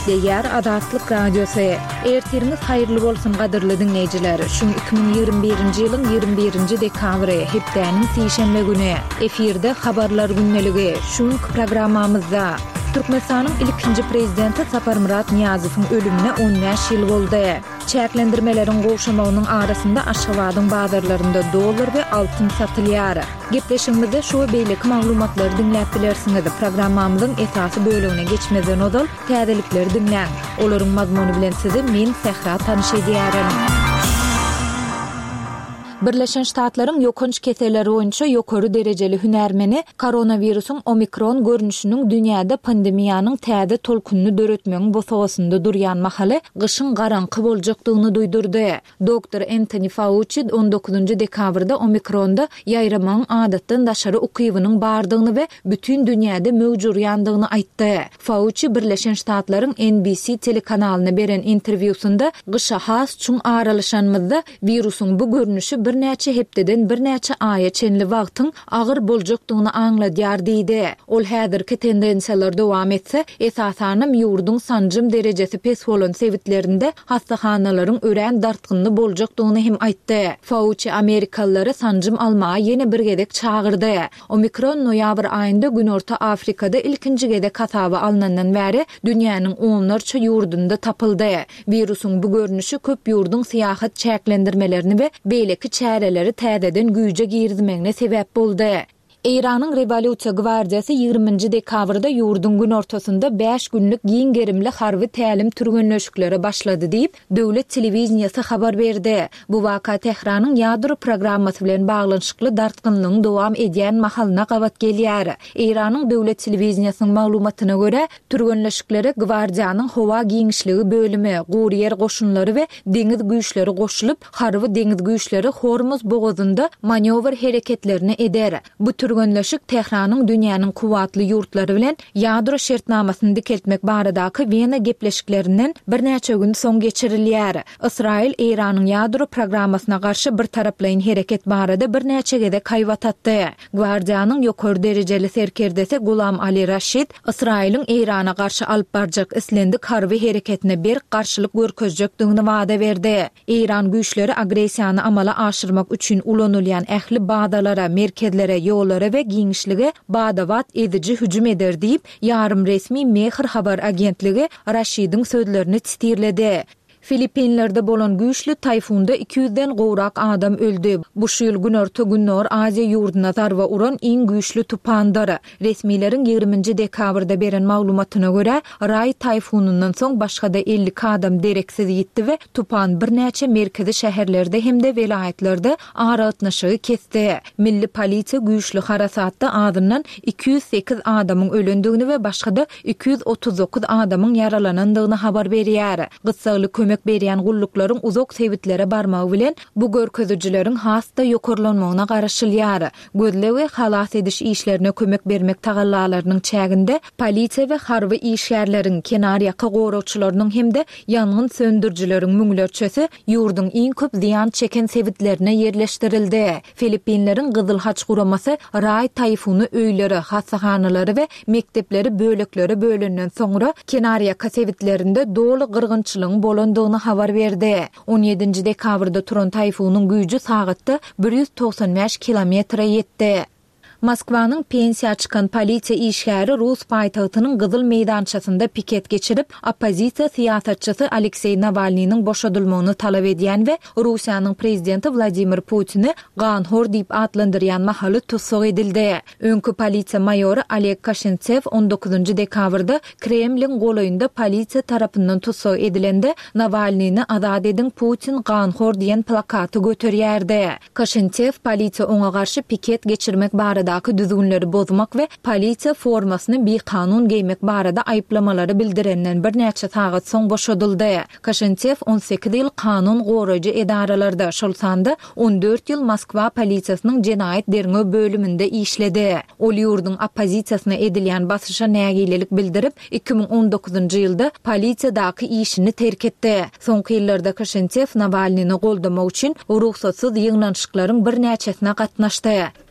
Gepleýär Azatlyk Radiosy. Ertiriňiz haýyrly bolsun gadyrly diňleýjiler. Şu gün 2021-nji ýylyň 21-nji dekabry, hepdäniň sişenbe güni. Efirde Habarlar gündeligi. Şu günki programmamyzda Türkmenistanyň ilkinji prezidenti Saparmyrat Nyýazowyň ölümine 15 ýyl boldy. Çäklendirmeleriň gowşamagynyň arasynda Aşgabadyň bazarlarynda dollar we altyn satylýar. Gepleşigimizde şu we beýleki maglumatlary diňläp bilersiňiz. Programmamyzyň esasy bölegine geçmezden ozal, täzelikleri diňläň. Olaryň mazmuny bilen sizi men, Sähra tanyş edýärin. Birleşen Ştatlaryň ýokanç keseller boýunça ýokary derejeli hünärmeni koronawirusyň omikron görnüşiniň dünýäde pandemiýanyň täze tolkunyny döretmegiň bosagasynda durýan mahaly gyşyň garaňky boljakdygyny duýdurdy. Doktor Entoni Fauçi on dokuzynjy dekabrda omikronda ýaýramagyň adatdan daşary ukybynyň bardygyny we bütin dünýäde möwç urýandygyny aýtdy. Fauçi Birleşen Ştatlaryň NBC telekanalyna beren interwýusynda gyşa has çuň aralaşanymyzda wirusyň bu görnüşi birnäçe hepdeden birnäçe aýa çenli wagtyň agyr boljakdygyny aňladýar diýdi. Ol häzirki tendensiýalar dowam etse, esasanam ýurduň sanjym derejesi pes bolan sebitlerinde hassahanalaryň örän dartgynly boljakdygyny hem aýtdy. Fauçi amerikalylary sanjym almaga ýene bir gezek çagyrdy. Omikron noýabr aýynda Günorta Afrikada ilkinji gezek hasaba alnandan bäri dünýäniň onlarça ýurdunda tapyldy. Wirusyň bu görnüşi köp ýurduň syýahat çäklendirmelerini we beýleki çäreleri täzeden güýje girizmegine sebäp boldy. Eýranyň Rewolýusiýa gwardiýasy ýigriminji dekabrda ýurduň günortasynda bäş günlük giň gerimli harby tälim-türgenleşiklere başlady diýip, döwlet telewideniýesi habar berdi. Bu waka Tähranyň ýadro programmasy bilen baglanyşykly dartgynlygyň dowam edýän mahalyna gabat gelýär. Eýranyň döwlet telewideniýesiniň maglumatyna görä, türgenleşiklere gwardiýanyň howa giňişligi bölümi, gury ýer goşunlary we deňiz güýçleri goşulyp, harby deňiz güýçleri Hormuz bogazynda manýowr hereketlerini eder. Bu türgenleşik Tähranyň dünýäniň kuwwatly ýurtlary bilen ýadro şertnamasyny dikeltmek baradaky Wena gepleşiklerinden birnäçe gün soň geçirilýär. Ysraýyl Eýranyň ýadro programmasyna garşy birtaraplaýyn hereket barada birnäçe gezek haýbat atdy. Gwardiýanyň ýokary derejeli serkerdesi Gulam Ali Raşid Ysraýylyň Eýrana garşy alyp barjak islendik harby hereketine berk garşylyk görkezjekdigini wada berdi. Eýran güýçleri agressiýany amala aşyrmak üçin ulanylýan ähli bazalara, merkezlere, ýollara we giňişlige bada-bat eziji hüjüm eder diýip, ýarym resmi Mehr habar agentligi Raşidiň sözlerini sitirledi. Filippinlerde bolan güýçli taýfunda iki ýüzden gowrak adam öldi. Bu şu ýyl Günorta-Gündogar Aziýa ýurduna zarba uran iň güýçli tupandyr. Resmileriň ýigriminji dekabrda beren maglumatyna görä, Raý taýfunyndan soň başga-da 52 adam dereksiz ýitdi we tupan birnäçe merkezi şäherlerde hem-de welaýatlarda aragatnaşygy kesdi. Milli polisiýa güýçli harasatda azyndan 208 adamyň ölendigini we başga-da 239 adamyň ýaralanandygyny habar berýär. Gyssagly kömek berýän gulluklaryň uzak sebitlere barmagy bilen, bu görkezijileriň has-da ýokarlanmagyna garaşylýar. Gözleg we halas ediş işlerine kömek bermek tagallalarynyň çäginde polisiýa we harby işgärleriň, kenarýaka goragçylarynyň hem-de ýangyn söndürijileriň müňlerçesi ýurduň iň köp zyýan çeken sebitlerine ýerleşdirildi. Filippinleriň Gyzyl Haç guramasy Raý taýfuny öýleri, hassahanalary we mekdepleri böleklere bölenden soňra kenarýaka sebitlerinde doly gyrgynçylygyň bolandygyny habar berdi. On ýedinji dekabrda turan taýfunyň güýji sagatda 195 kilometre ýetdi. Moskwanyň pensiýa çykan polisiýa işgäri rus paýtagtynyň Gyzyl meýdançasynda piket geçirip, oppozisiýa syýasatçysy Alekseý Nawalnynyň boşadylmagyny talap edýän we Russiýanyň prezidenti Wladimir Putini ganhor diýip atlandyrýan mahaly tussag edildi. Öňki polisiýa maýory Oleg Kaşintsew on dokuzynjy dekabrda Kremliň golaýynda polisiýa tarapyndan tussag edilende, Nawalnyny azat ediň, Putin ganhor diýen plakaty göterýärdi. Kaşintsew polisiýa oňa garşy piket geçirmek baradaky düzgünleri bozmak we polisiýa formasyny bikanun geýmek barada aýyplamalary bildirenden birnäçe sagat soň boşadyldy. Kaşintsew 18 ýyl kanun goraýjy edaralarda, şol sanda 14 ýyl Moskwa polisiýasynyň jenaýat derňew bölüminde işledi. Ol ýurduň oppozisiýasyna edilýän basyşa nägilelik bildirip, 2019-njy ýylda polisiýadaky işini terk etdi. Soňky ýyllarda Kaşintsew Nawalnyny goldamak üçin rugsatsyz ýygnanyşyklaryň birnäçesine gatnaşdy.